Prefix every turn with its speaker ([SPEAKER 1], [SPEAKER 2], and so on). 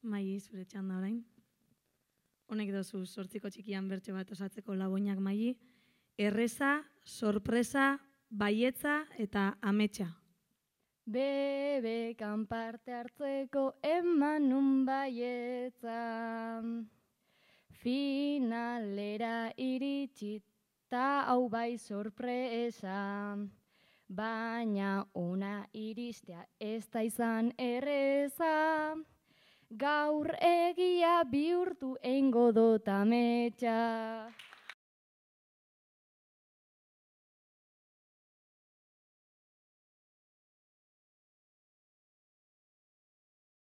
[SPEAKER 1] Mai, zure txanda orain. Honek dozu sortziko txikian bertso bat osatzeko laboinak mai. Erreza, sorpresa, baietza eta ametsa.
[SPEAKER 2] Bebekan parte hartzeko eman nun baietza. Finalera iritsi ta hau bai sorpresa. Baina ona iristea ez da izan erreza. Gaur egia bihurtu eingo dut ametsa.